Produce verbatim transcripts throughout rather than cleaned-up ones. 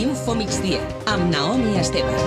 Info Migdia, amb Naomi Esteve.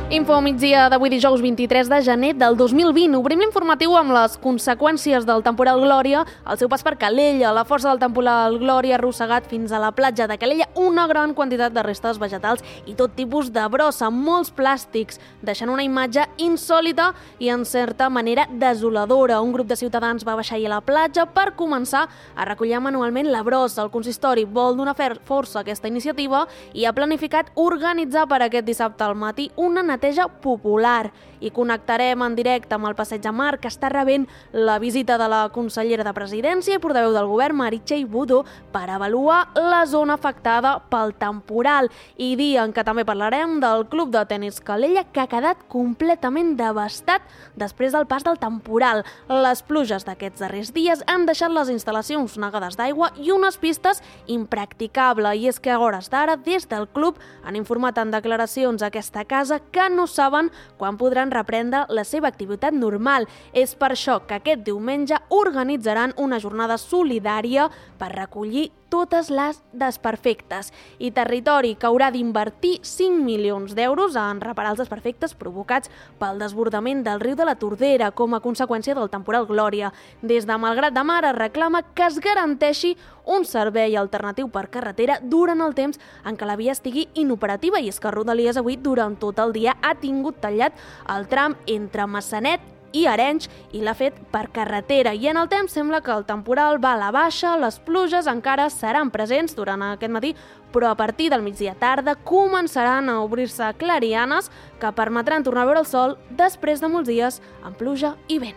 Info migdia d'avui dijous vint-i-tres de gener del dos mil vint. Obrim l'informatiu amb les conseqüències del temporal Glòria, el seu pas per Calella. La força del temporal Glòria ha arrossegat fins a la platja de Calella una gran quantitat de restes vegetals i tot tipus de brossa, molts plàstics, deixant una imatge insòlita i en certa manera desoladora. Un grup de ciutadans va baixar a la platja per començar a recollir manualment la brossa. El consistori vol donar força a aquesta iniciativa i ha planificat organitzar per aquest dissabte al matí una neteja popular. I connectarem en directe amb el Passeig de Mar, que està rebent la visita de la consellera de Presidència i portaveu del govern, Meritxell Budó, per avaluar la zona afectada pel temporal. I dia en què també parlarem del Club de Tenis Calella, que ha quedat completament devastat després del pas del temporal. Les pluges d'aquests darrers dies han deixat les instal·lacions negades d'aigua i unes pistes impracticables. I és que a hores d'ara, des del club, han informat en declaracions a aquesta casa que no saben quan podran reprendre la seva activitat normal. És per això que aquest diumenge organitzaran una jornada solidària per recollir totes les desperfectes. I Territori, que haurà d'invertir cinc milions d'euros en reparar els desperfectes provocats pel desbordament del riu de la Tordera com a conseqüència del temporal Glòria. Des de Malgrat de Mar es reclama que es garanteixi un servei alternatiu per carretera durant el temps en què la via estigui inoperativa, i és que Rodalies avui durant tot el dia ha tingut tallat el tram entre Massanet i Arenys i l'ha fet per carretera. I en el temps sembla que el temporal va a la baixa, les pluges encara seran presents durant aquest matí, però a partir del migdia tarda començaran a obrir-se clarianes que permetran tornar a veure el sol després de molts dies amb pluja i vent.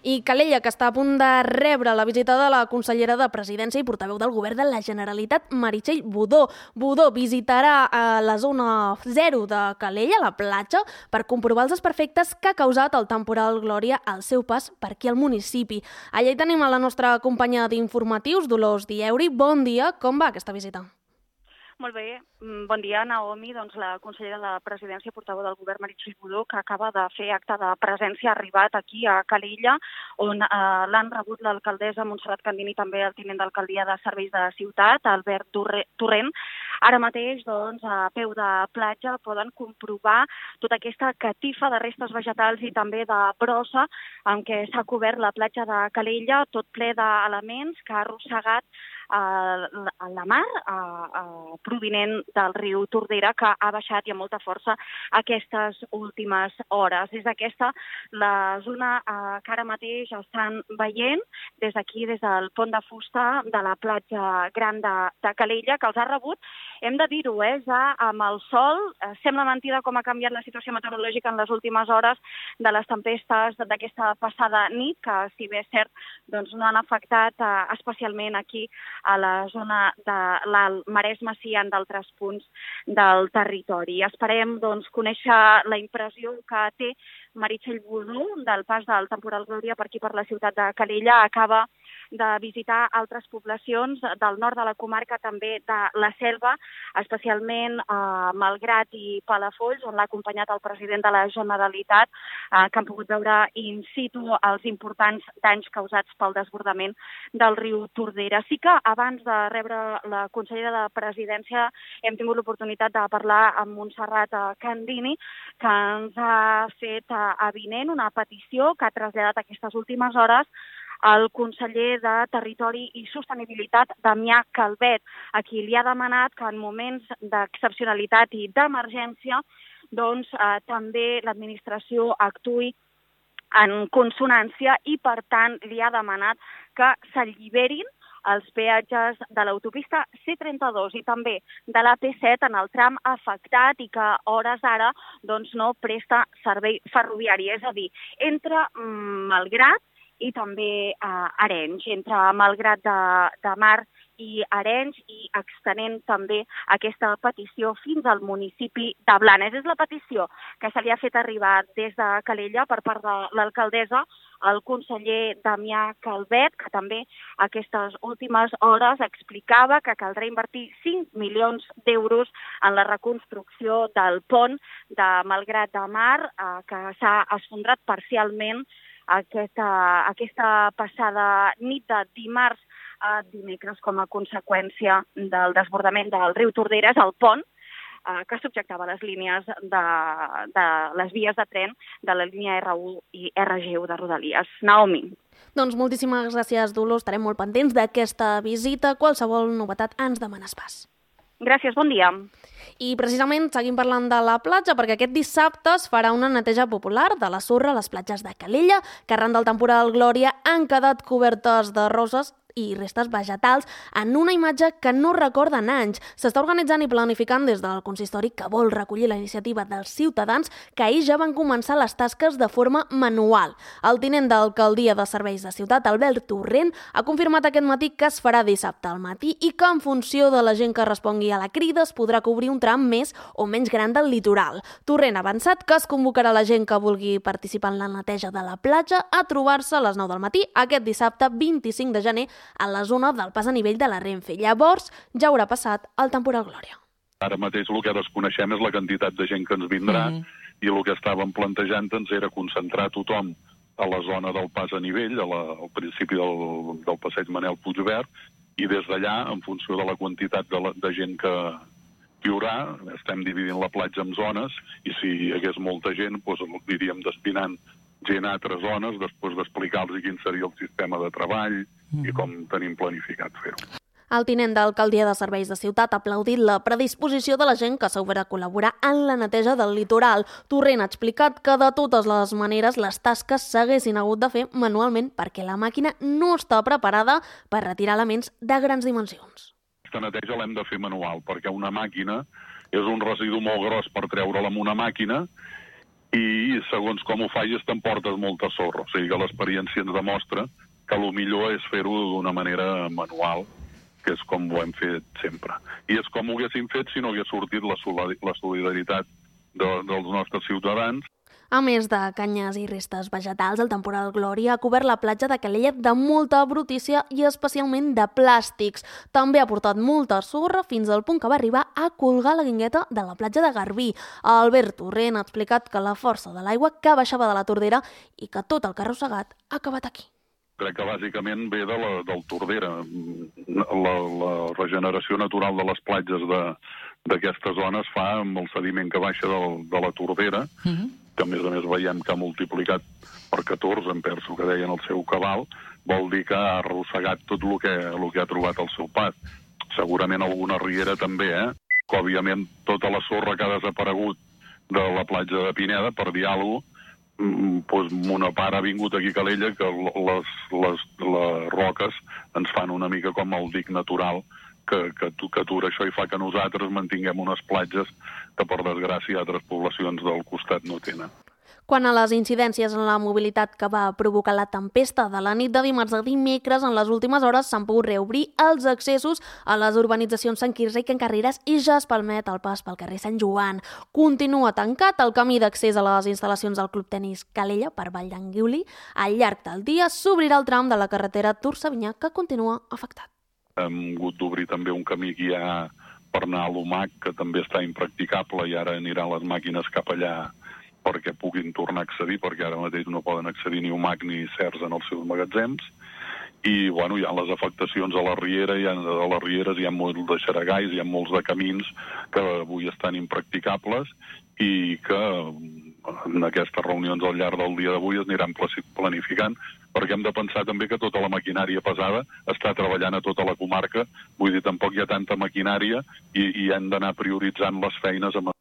I Calella, que està a punt de rebre la visita de la consellera de Presidència i portaveu del govern de la Generalitat, Meritxell Budó. Budó visitarà a la zona zero de Calella, la platja, per comprovar els desperfectes que ha causat el temporal Glòria al seu pas per aquí al municipi. Allà hi tenim a la nostra companya d'informatius, Dolors Dieuri. Bon dia, com va aquesta visita? Molt bé, bon dia, Naomi. Doncs la consellera de Presidència, portaveu del govern, Meritxell Budó, que acaba de fer acte de presència, ha arribat aquí a Calella, on eh, l'han rebut l'alcaldessa Montserrat Candini, també el tinent d'alcaldia de Serveis de Ciutat, Albert Torrent. Ara mateix, doncs, a peu de platja poden comprovar tota aquesta catifa de restes vegetals i també de brossa amb què s'ha cobert la platja de Calella, tot ple d'elements que ha arrossegat a la mar a, a, provinent del riu Tordera, que ha baixat i amb molta força aquestes últimes hores. Des d'aquesta, la zona eh, que ara mateix estan veient, des d'aquí, des del pont de fusta de la platja gran de, de Calella, que els ha rebut, hem de dir-ho, eh, ja amb el sol, eh, sembla mentida com ha canviat la situació meteorològica en les últimes hores de les tempestes d'aquesta passada nit, que si bé és cert, doncs no han afectat eh, especialment aquí a la zona de l'Alt Maresme, sí en d'altres punts del territori. Esperem doncs, conèixer la impressió que té Meritxell Budó del pas del temporal Glòria per aquí per la ciutat de Calella. Acaba de visitar altres poblacions del nord de la comarca, també de la Selva, especialment a Malgrat i Palafolls, on l'ha acompanyat el president de la Generalitat, eh, que han pogut veure in situ els importants danys causats pel desbordament del riu Tordera. Sí que abans de rebre la consellera de Presidència hem tingut l'oportunitat de parlar amb Montserrat Candini, que ens ha fet avinent una petició que ha traslladat aquestes últimes hores el conseller de Territori i Sostenibilitat, Damià Calvet, a qui li ha demanat que en moments d'excepcionalitat i d'emergència doncs, eh, també l'administració actuï en consonància i, per tant, li ha demanat que s'alliberin els peatges de l'autopista C trenta-dos i també de la P set en el tram afectat i que a hores d'ara doncs, no presta servei ferroviari, és a dir, entre Malgrat i també eh, Arenys, entre Malgrat de, de Mar i Arenys, i extenent també aquesta petició fins al municipi de Blanes. És la petició que se li ha fet arribar des de Calella per part de l'alcaldessa al conseller Damià Calvet, que també aquestes últimes hores explicava que caldrà invertir cinc milions d'euros en la reconstrucció del pont de Malgrat de Mar, eh, que s'ha esfondrat parcialment aquesta, aquesta passada nit de dimarts a dimecres com a conseqüència del desbordament del riu Torderes, al pont, eh, que subjectava les línies de, de les vies de tren de la línia erre u i erre ge u de Rodalies. Naomi. Doncs moltíssimes gràcies, Dolors. Estarem molt pendents d'aquesta visita. Qualsevol novetat ens demanes pas. Gràcies, bon dia. I precisament seguim parlant de la platja perquè aquest dissabte es farà una neteja popular de la sorra a les platges de Calella, que arran del temporal Glòria han quedat cobertes de roses i restes vegetals en una imatge que no recorden anys. S'està organitzant i planificant des del consistori, que vol recollir la iniciativa dels ciutadans, que ahir ja van començar les tasques de forma manual. El tinent d'alcaldia de Serveis de Ciutat, Albert Torrent, ha confirmat aquest matí que es farà dissabte al matí i que en funció de la gent que respongui a la crida es podrà cobrir un tram més o menys gran del litoral. Torrent ha avançat que es convocarà la gent que vulgui participar en la neteja de la platja a trobar-se a les nou del matí aquest dissabte vint-i-cinc de gener a la zona del pas a nivell de la Renfe. Llavors ja haurà passat el temporal Glòria. Ara mateix el que desconeixem és la quantitat de gent que ens vindrà mm. i el que estàvem plantejant-nos era concentrar tothom a la zona del pas a nivell, a la, al principi del, del passeig Manel Puigverd, i des d'allà, en funció de la quantitat de, la, de gent que hi haurà, estem dividint la platja en zones, i si hi hagués molta gent, doncs aniríem destinant gent a altres zones, després d'explicar-los quin seria el sistema de treball mm. i com tenim planificat fer-ho. El tinent d'alcaldia de Serveis de Ciutat ha aplaudit la predisposició de la gent que s'haurà de col·laborar en la neteja del litoral. Torrent ha explicat que de totes les maneres les tasques s'haguessin hagut de fer manualment perquè la màquina no està preparada per retirar elements de grans dimensions. Aquesta neteja l'hem de fer manual perquè una màquina és un residu molt gros per treure-la amb una màquina i segons com ho falles t'emportes molta sorra. O sigui que l'experiència ens demostra que el millor és fer-ho d'una manera manual, que és com ho hem fet sempre. I és com ho haguéssim fet si no hagués sortit la solidaritat de, dels nostres ciutadans. A més de canyes i restes vegetals, el temporal Glòria ha cobert la platja de Calella de molta brutícia i especialment de plàstics. També ha portat molta sorra fins al punt que va arribar a colgar la guingueta de la platja de Garbí. Albert Torrent ha explicat que la força de l'aigua que baixava de la Tordera i que tot el que ha arrossegat ha acabat aquí. Crec que bàsicament ve de la, del Tordera. La, la regeneració natural de les platges d'aquesta zona es fa amb el sediment que baixa del, de la Tordera, mm-hmm. que a més a més veiem que ha multiplicat per catorze, em penso que deien el seu cabal, vol dir que ha arrossegat tot el que, el que ha trobat al seu pas. Segurament alguna riera també, eh? Que òbviament tota la sorra que ha desaparegut de la platja de Pineda, per dir alguna cosa, doncs una part ha vingut aquí a Calella que les, les, les roques ens fan una mica com el dic natural que, que, que atura això i fa que nosaltres mantinguem unes platges que per desgràcia altres poblacions del costat no tenen. Quant a les incidències en la mobilitat que va provocar la tempesta de la nit de dimarts a dimecres, en les últimes hores s'han pogut reobrir els accessos a les urbanitzacions Sant Quirze i Can Carreres i ja es permet el pas pel carrer Sant Joan. Continua tancat el camí d'accés a les instal·lacions del Club Tenis Calella per Vall d'Anguili. Al llarg del dia s'obrirà el tram de la carretera Tours-Savinyà, que continua afectat. Hem hagut d'obrir també un camí que hi ha per anar a l'U M A C, que també està impracticable i ara aniran les màquines cap allà perquè puguin tornar a accedir, perquè ara mateix no poden accedir ni U M A C ni certs en els seus magatzems. I bueno, hi ha les afectacions a la riera, hi ha, a les rieres hi ha molts de xaragais, hi ha molts de camins que avui estan impracticables i que en aquestes reunions al llarg del dia d'avui es aniran planificant, perquè hem de pensar també que tota la maquinària pesada està treballant a tota la comarca, vull dir, tampoc hi ha tanta maquinària i, i hem d'anar prioritzant les feines amb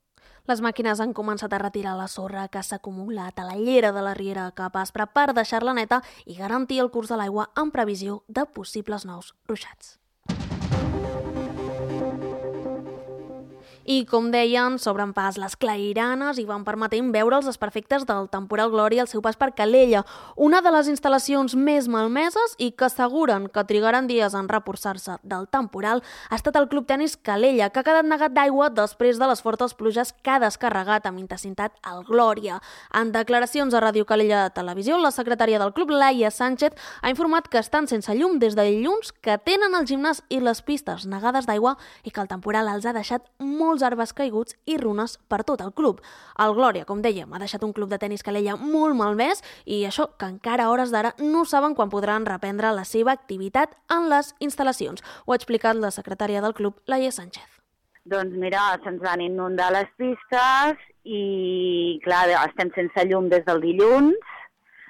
Les màquines han començat a retirar la sorra que s'ha acumulat a la llera de la riera Cap Aspre per deixar-la neta i garantir el curs de l'aigua en previsió de possibles nous ruixats. I, com deien, s'obren pas les clairanes i van permetent veure els desperfectes del temporal Glòria al seu pas per Calella, una de les instal·lacions més malmeses i que asseguren que trigaran dies en reforçar-se del temporal ha estat el Club Tenis Calella, que ha quedat negat d'aigua després de les fortes pluges que ha descarregat amb intensitat al Glòria. En declaracions a Ràdio Calella de Televisió, la secretària del club, Laia Sánchez, ha informat que estan sense llum des de dilluns, que tenen el gimnàs i les pistes negades d'aigua i que el temporal els ha deixat molts molts arbres caiguts i runes per tot el club. El Glòria, com dèiem, ha deixat un club de tenis Calella molt malmès i això que encara a hores d'ara no saben quan podran reprendre la seva activitat en les instal·lacions. Ho ha explicat la secretària del club, Laia Sánchez. Doncs mira, se'ns van inundar les pistes i, clar, estem sense llum des del dilluns.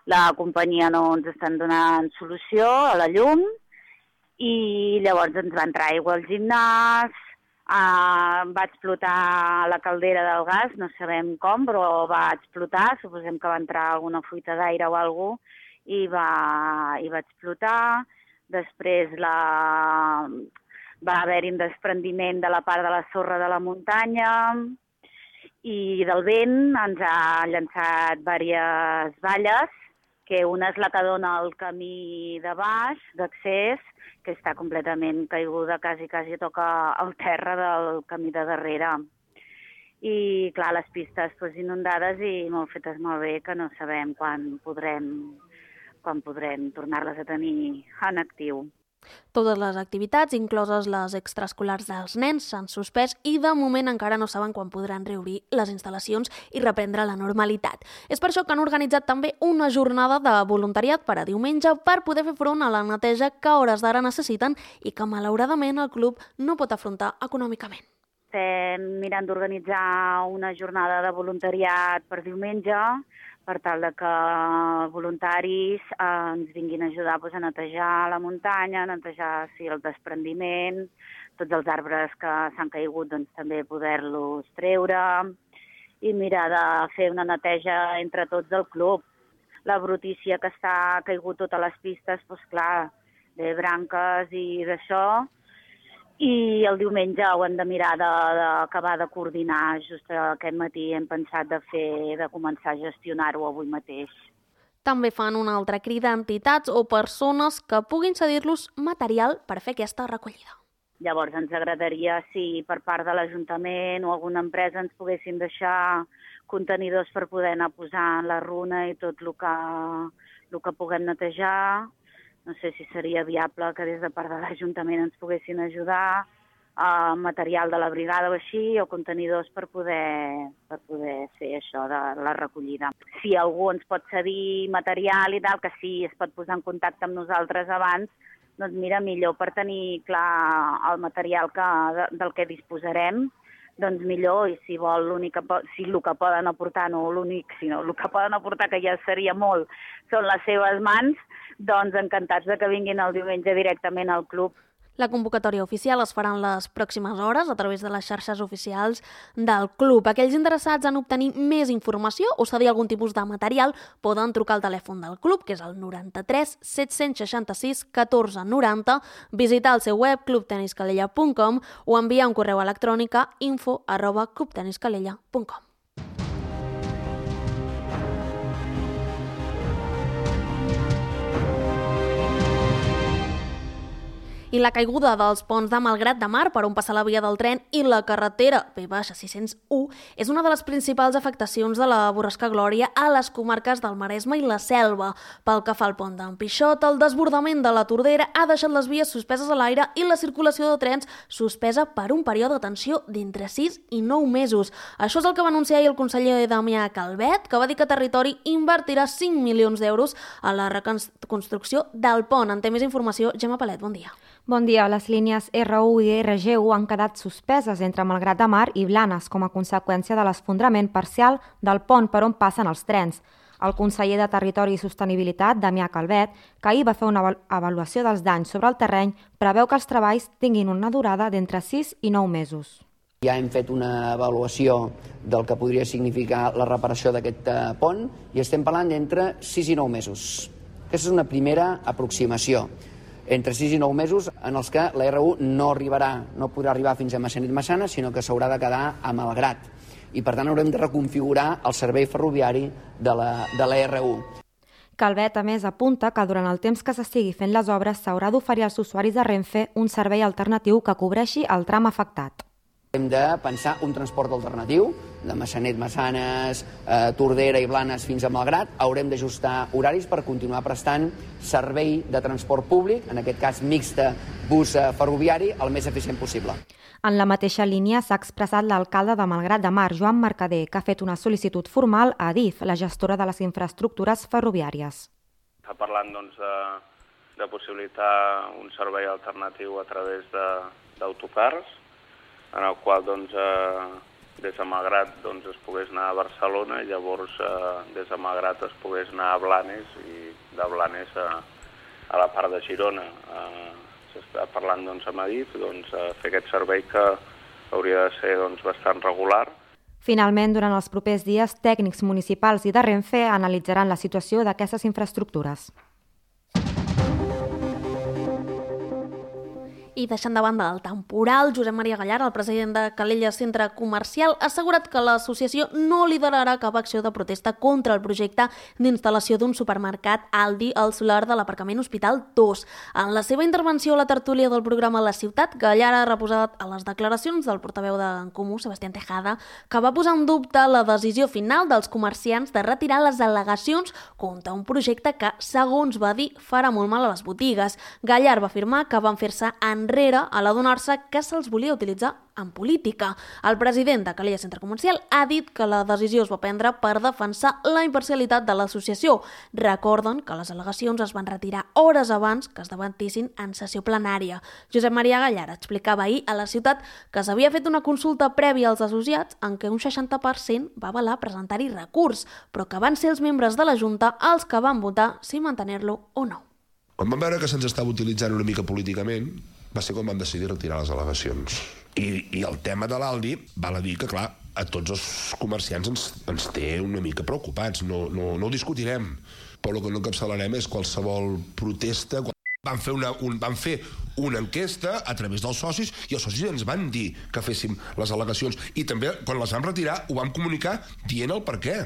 La companyia no ens estan donant solució a la llum i llavors ens va entrar aigua al gimnàs, eh, va explotar la caldera del gas, no sabem com, però va explotar, suposem que va entrar alguna fuita d'aire o alguna cosa i va, i va explotar. Després la... va haver-hi un desprendiment de la part de la sorra de la muntanya i del vent ens ha llançat diverses valles, que una és la que dona el camí de baix, d'accés, que està completament caiguda, quasi, quasi toca el terra del camí de darrere. I, clar, les pistes pues, inundades i molt fetes molt bé, que no sabem quan podrem, quan podrem tornar-les a tenir en actiu. Totes les activitats, incloses les extraescolars dels nens, s'han suspès i de moment encara no saben quan podran reobrir les instal·lacions i reprendre la normalitat. És per això que han organitzat també una jornada de voluntariat per a diumenge per poder fer front a la neteja que a hores d'ara necessiten i que malauradament el club no pot afrontar econòmicament. Estem mirant d'organitzar una jornada de voluntariat per diumenge per tal de que voluntaris eh, ens vinguin a ajudar pues, a netejar la muntanya, a netejar sí, el desprendiment, tots els arbres que s'han caigut doncs, també poder-los treure i mirar de fer una neteja entre tots del club. La brutícia que està caigut totes les pistes, doncs clar, de branques i d'això, i el diumenge ho hem de mirar d'acabar de, de coordinar. Just aquest matí hem pensat de fer, de començar a gestionar-ho avui mateix. També fan una altra crida a entitats o persones que puguin cedir-los material per fer aquesta recollida. Llavors ens agradaria si per part de l'Ajuntament o alguna empresa ens poguessin deixar contenidors per poder anar posant la runa i tot el que, el que puguem netejar. No sé si seria viable que des de part de l'Ajuntament ens poguessin ajudar a material de la brigada o així, o contenidors per poder, per poder fer això de la recollida. Si algú ens pot cedir material i tal, que sí es pot posar en contacte amb nosaltres abans, doncs mira, millor per tenir clar el material que, del que disposarem, doncs millor, i si vol l'únic que, si el que poden aportar, no l'únic, sinó el que poden aportar, que ja seria molt, són les seves mans, doncs encantats de que vinguin el diumenge directament al club. La convocatòria oficial es farà en les pròximes hores a través de les xarxes oficials del club. Aquells interessats en obtenir més informació o cedir algun tipus de material poden trucar al telèfon del club, que és el noranta-tres set-cents seixanta-sis catorze noranta, visitar el seu web club tenis calella punt com o enviar un correu electrònic a info arroba club tenis calella punt com. I la caiguda dels ponts de Malgrat de Mar per on passa la via del tren i la carretera P sis cents u és una de les principals afectacions de la borrasca Glòria a les comarques del Maresme i la Selva. Pel que fa al pont d'en Pixot, el desbordament de la Tordera ha deixat les vies suspeses a l'aire i la circulació de trens suspesa per un període de tensió d'entre sis i nou mesos. Això és el que va anunciar ahir el conseller Damià Calvet, que va dir que Territori invertirà cinc milions d'euros a la reconstrucció del pont. En té més informació, Gemma Palet, bon dia. Bon dia. Les línies R u i R G u han quedat suspeses entre Malgrat de Mar i Blanes com a conseqüència de l'esfondrament parcial del pont per on passen els trens. El conseller de Territori i Sostenibilitat, Damià Calvet, que ahir va fer una avaluació dels danys sobre el terreny, preveu que els treballs tinguin una durada d'entre sis i nou mesos. Ja hem fet una avaluació del que podria significar la reparació d'aquest pont i estem parlant d'entre sis i nou mesos. Aquesta és una primera aproximació. Entre sis i nou mesos en els que la R u no arribarà, no podrà arribar fins a Massanet-Massana, sinó que s'haurà de quedar a Malgrat. I per tant haurem de reconfigurar el servei ferroviari de la, de la R u. Calvet, a més, apunta que durant el temps que s'estigui fent les obres s'haurà d'oferir als usuaris de Renfe un servei alternatiu que cobreixi el tram afectat. Hem de pensar un transport alternatiu, de Massanet, Massanes, eh, Tordera i Blanes fins a Malgrat. Haurem d'ajustar horaris per continuar prestant servei de transport públic, en aquest cas mixta bus ferroviari, el més eficient possible. En la mateixa línia s'ha expressat l'alcalde de Malgrat de Mar, Joan Mercader, que ha fet una sol·licitud formal a Adif, la gestora de les infraestructures ferroviàries. Està parlant doncs, de, de possibilitar un servei alternatiu a través d'autocars, en el qual doncs, eh, des de Malgrat doncs, es pogués anar a Barcelona i llavors eh, des de Malgrat es pogués anar a Blanes i de Blanes a, a la part de Girona. Eh, S'està parlant doncs, amb Adif doncs, a fer aquest servei que hauria de ser doncs, bastant regular. Finalment, durant els propers dies, tècnics municipals i de Renfe analitzaran la situació d'aquestes infraestructures. I deixant de banda el temporal, Josep Maria Gallar, el president de Calella Centre Comercial, ha assegurat que l'associació no liderarà cap acció de protesta contra el projecte d'instal·lació d'un supermercat Aldi al solar de l'aparcament Hospital dos. En la seva intervenció a la tertúlia del programa La Ciutat, Gallar ha reposat a les declaracions del portaveu d'en Comú, Sebastián Tejada, que va posar en dubte la decisió final dels comerciants de retirar les al·legacions contra un projecte que, segons va dir, farà molt mal a les botigues. Gallar va afirmar que van fer-se en enrere a l'adonar-se que se'ls volia utilitzar en política. El president de Calella Centre Comercial ha dit que la decisió es va prendre per defensar la imparcialitat de l'associació. Recorden que les al·legacions es van retirar hores abans que es debatissin en sessió plenària. Josep Maria Gallar explicava ahir a La Ciutat que s'havia fet una consulta prèvia als associats en què un seixanta per cent va avalar presentar-hi recurs, però que van ser els membres de la Junta els que van votar si mantenir-lo o no. Quan vam veure que se'ns estava utilitzant una mica políticament, va ser quan vam decidir retirar les al·legacions. I, i el tema de l'Aldi, val a dir que, clar, a tots els comerciants ens, ens té una mica preocupats, no, no, no ho discutirem, però el que no encapçalarem és qualsevol protesta. Vam fer, una, un, vam fer una enquesta a través dels socis i els socis ens van dir que féssim les al·legacions i també, quan les vam retirar, ho vam comunicar dient el per què.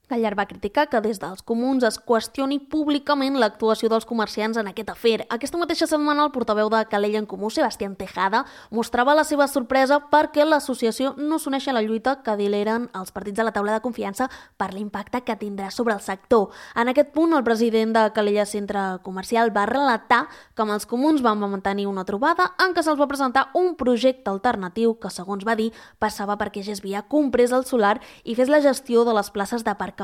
Gallar va criticar que des dels comuns es qüestioni públicament l'actuació dels comerciants en aquest afer. Aquesta mateixa setmana el portaveu de Calella en Comú, Sebastián Tejada, mostrava la seva sorpresa perquè l'associació no s'uneix a la lluita que dileren els partits de la taula de confiança per l'impacte que tindrà sobre el sector. En aquest punt, el president de Calella Centre Comercial va relatar que amb els comuns van mantenir una trobada en què se'ls va presentar un projecte alternatiu que, segons va dir, passava perquè G S Via comprés el solar i fes la gestió de les places d'aparcament.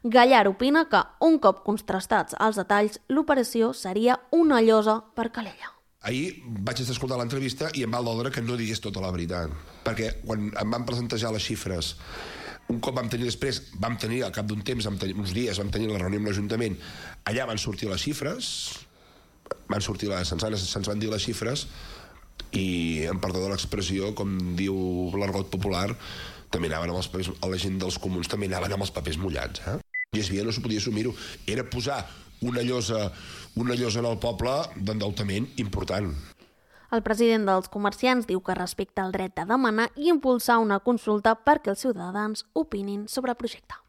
Gallar opina que, un cop contrastats els detalls, l'operació seria una llosa per Calella. Ahir vaig escoltar l'entrevista i em va doldre que no digués tota la veritat, perquè quan em van presentar les xifres, un cop vam tenir després, vam tenir al cap d'un temps, vam tenir, uns dies, vam tenir la reunió amb l'Ajuntament, allà van sortir les xifres, van sortir les, se'ns, se'ns van dir les xifres, i, em perdó de l'expressió, com diu l'argot popular, també anaven amb els papers, a la gent dels comuns també anaven amb els papers mullats. Eh? I es veia, no s'ho podia assumir-ho. Era posar una llosa, una llosa en el poble d'endeutament important. El president dels comerciants diu que respecta el dret de demanar i impulsar una consulta perquè els ciutadans opinin sobre el projecte.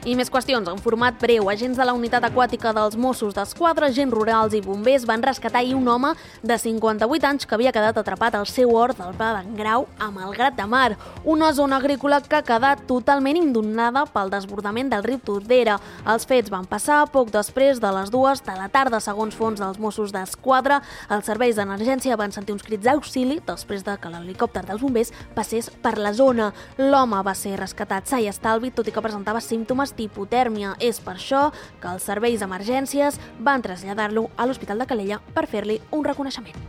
I més qüestions. En format breu, agents de la unitat aquàtica dels Mossos d'Esquadra, agents rurals i bombers van rescatar ahir un home de cinquanta-vuit anys que havia quedat atrapat al seu hort del Pla d'en Grau a Malgrat de Mar, una zona agrícola que ha quedat totalment inundada pel desbordament del riu Tordera. Els fets van passar poc després de les dues de la tarda, segons fons dels Mossos d'Esquadra. Els serveis d'emergència van sentir uns crits d'auxili després de que l'helicòpter dels bombers passés per la zona. L'home va ser rescatat sa i estalvi, tot i que presentava símptomes d'hipotèrmia. És per això que els serveis d'emergències van traslladar-lo a l'Hospital de Calella per fer-li un reconeixement.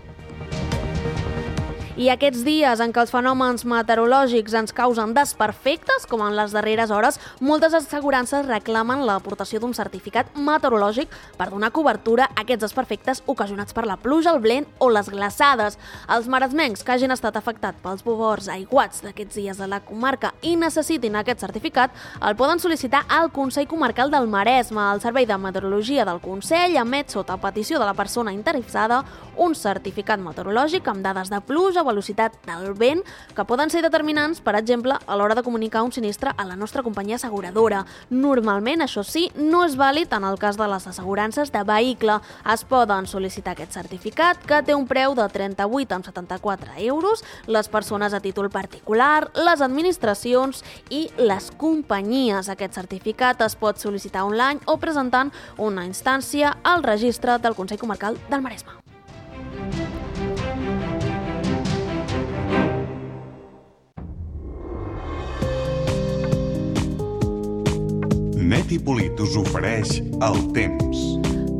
I aquests dies en què els fenòmens meteorològics ens causen desperfectes, com en les darreres hores, moltes assegurances reclamen l'aportació d'un certificat meteorològic per donar cobertura a aquests desperfectes ocasionats per la pluja, el vent o les glaçades. Els maresmencs que hagin estat afectats pels forts aiguats d'aquests dies a la comarca i necessitin aquest certificat el poden sol·licitar al Consell Comarcal del Maresme. El Servei de Meteorologia del Consell emet, sota petició de la persona interessada, un certificat meteorològic amb dades de pluja, velocitat del vent, que poden ser determinants, per exemple, a l'hora de comunicar un sinistre a la nostra companyia asseguradora. Normalment, això sí, no és vàlid en el cas de les assegurances de vehicle. Es poden sol·licitar aquest certificat, que té un preu de trenta-vuit coma setanta-quatre euros, les persones a títol particular, les administracions i les companyies. Aquest certificat es pot sol·licitar online o presentant una instància al registre del Consell Comarcal del Maresme. Net i Polit us ofereix el temps.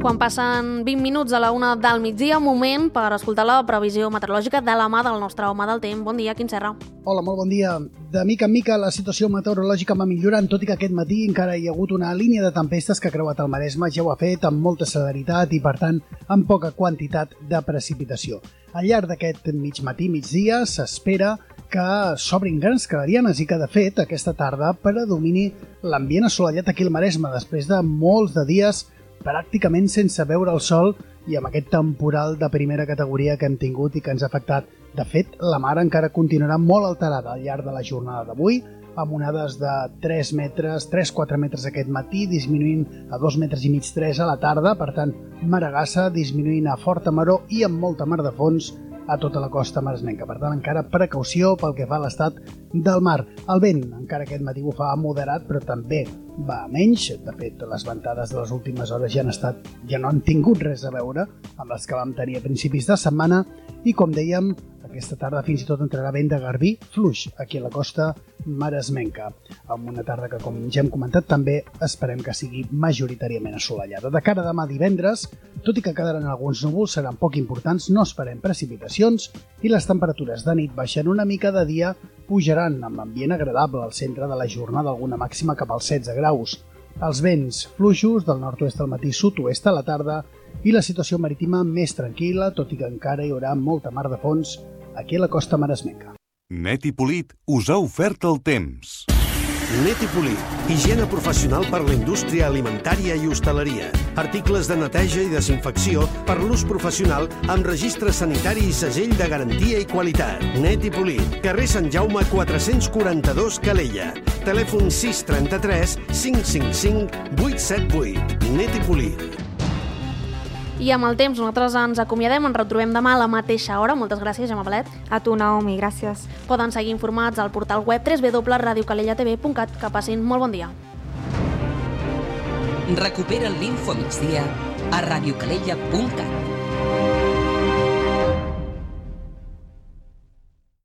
Quan passen vint minuts a la una del migdia, moment per escoltar la previsió meteorològica de la mà del nostre home del temps. Bon dia, Quim Serra. Hola, molt bon dia. De mica en mica la situació meteorològica va millorant, tot i que aquest matí encara hi ha hagut una línia de tempestes que ha creuat el Maresme, ja ho ha fet amb molta celeritat i, per tant, amb poca quantitat de precipitació. Al llarg d'aquest mig matí, migdia, s'espera que s'obrin grans clarianes i que, de fet, aquesta tarda predomini l'ambient assolellat aquí al Maresme, després de molts de dies pràcticament sense veure el sol i amb aquest temporal de primera categoria que hem tingut i que ens ha afectat. De fet, la mar encara continuarà molt alterada al llarg de la jornada d'avui, amb onades de tres metres, tres a quatre metres aquest matí, disminuint a dos metres i mig, tres a la tarda, per tant, maragassa, disminuint a forta maror i amb molta mar de fons a tota la costa maresmenca. Per tant, encara precaució pel que fa a l'estat del mar. El vent, encara aquest matí bufava moderat, però també va a menys. De fet, les ventades de les últimes hores ja han estat, ja no han tingut res a veure amb les que vam tenir a principis de setmana i, com dèiem, aquesta tarda fins i tot entrarà vent de garbí fluix aquí a la costa maresmenca, amb una tarda que, com ja hem comentat, també esperem que sigui majoritàriament assolellada. De cara a demà divendres, tot i que quedaran alguns núvols, seran poc importants, no esperem precipitacions i les temperatures de nit baixen una mica, de dia pujaran amb ambient agradable al centre de la jornada, alguna màxima cap als setze graus. Els vents fluixos del nord-oest al matí, sud-oest a la tarda i la situació marítima més tranquil·la, tot i que encara hi haurà molta mar de fons aquí a la costa maresmenca. Net i Polit us ha ofert el temps. Net i Polit, higiene professional per la indústria alimentària i hostaleria. Articles de neteja i desinfecció per l'ús professional amb registre sanitari i segell de garantia i qualitat. Net i Polit, carrer Sant Jaume quatre-cents quaranta-dos, Calella. Telèfon sis trenta-tres cinc cinc cinc vuit set vuit. Net i Polit. I amb el temps nosaltres ens acomiadem, ens retrobem demà a la mateixa hora. Moltes gràcies, Gemma Palet. A tu, Naomi, gràcies. Poden seguir informats al portal web w w w punt radio calella t v punt cat. Que passin molt bon dia. Recupera l'info migdia a radio calella punt cat.